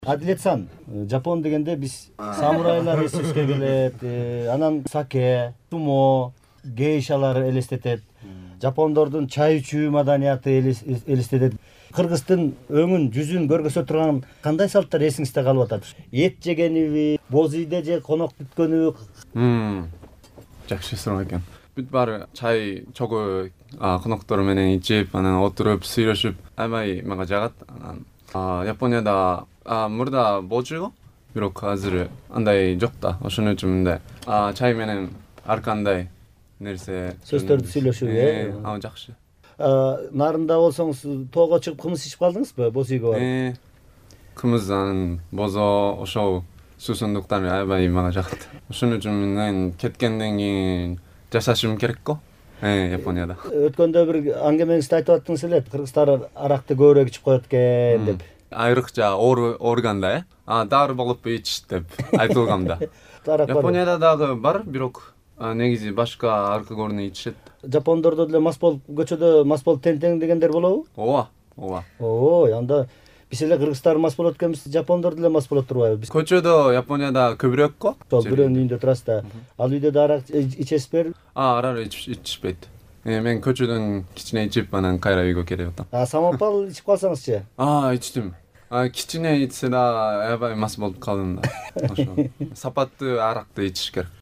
Адилет-сан, Жапон дегенде биз самурайлар эсибизге келет, анан саке, сумо, гейшалар элестетет. Жапондордун чай ичүү маданияты элестетет. Кыргыздын өңүн, жүзүн көргөзө турган кандай салттар эсиңизде калып атат? Эт жегениби, боз үйдө же конок күткөнүбү? Жакшы суроо экен. Бүт баары чай чогуу коноктор менен ичип, анан отуруп, сүйлөшүп, аябай мага жагат. Японияда мурда болчу го, бирок азыр андай жок да. Ошон үчүн мындай чай менен ар кандай нерсе сөздөрдү сүйлөшүү, жакшы. Нарында болсоңуз тоого чыгып кымыз ичип калдыңызбы? Боз үйгө барып. Кымыз, бозо, ошол суусундуктар аябай мага жагат. Ошон үчүн мен кеткенден кийин жашашым керек го. Японияда. Өткөндө бир аңгемеңизде айтып аттыңыз эле, кыргыздар аракты көбүрөөк ичип коет экен деп. Айрыкча оорганда, дары болуп ичиш деп айтылган да. Японияда дагы бар, бирок негизи башка алкоголду ичишет. Жапондордо деле мас болуп, көчөдө мас болуп тең дегендер болобу? Ооба. Анда биз эле кыргыздар мас болот экенбиз, жапондор деле мас болот турбайбы? Көчөдө Японияда көбүрөөк го. Бирөөнүн үйүндө турасыз да. Ал үйдө да арак ичесизби? Арак ичишпейт. Мен көчөдөн кичине ичип, анан кайра үйгө келип атам. Самопал ичип калсаңызчы? Ичтим. Кичине ичсе да аябай мас болуп калдым да. Ошо. Сапаттуу аракты ичиш керек.